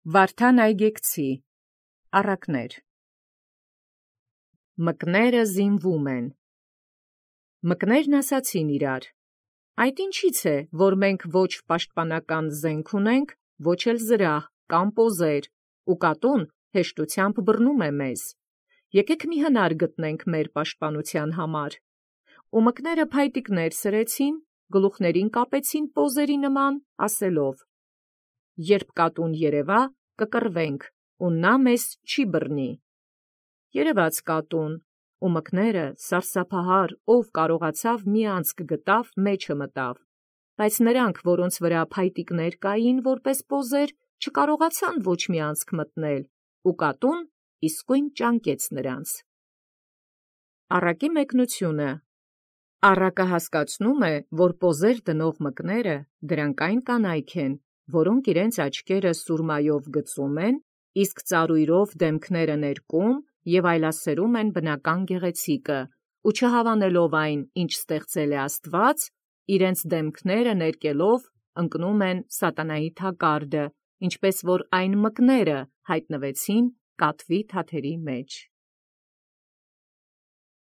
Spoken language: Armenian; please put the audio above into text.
Վարդան այգեկցի առակներ։ Մկները զինվում են։ Մկներն ասացին իրար. այդ ինչից է, որ մենք ոչ պաշտպանական զենք ունենք, ոչ էլ զրահ կամ պոզեր, ու կատուն հեշտությամբ բռնում է մեզ։ Եկեք մի հնար գտնենք մեր պաշտպանության համար։ Ու մկները փայտիկներ սրեցին, գլուխներին կապեցին պոզերի նման, ասելով. երբ կատուն երևա, կկռվենք, ու նա մեզ չի բռնի։ Երևաց կատուն, ու մկները սարսափահար, ով կարողացավ մի անցք գտավ, մեջը մտավ, բայց նրանք, որոնց վրա փայտիկներ կային որպես պոզեր, չկարողացան ոչ մի անցք մտնել, ու կատուն իսկույն ճանկեց նրանց։ Առակի մեկնությունը։ Առակը հասկացնում է, որ պոզեր դնող մկները դրանք այն կանայք են, որոնք իրենց աչքերը սուրմայով գծում են, իսկ ծառույրով դեմքները ներկում և այլասերում են բնական գեղեցիկը, ու չհավանելով այն, ինչ ստեղծել է Աստված, իրենց դեմքները ներկելով ընկնում են սատանայի թակարդը, ինչպես որ այն մկները հայտնվեցին կատվի թաթերի մեջ։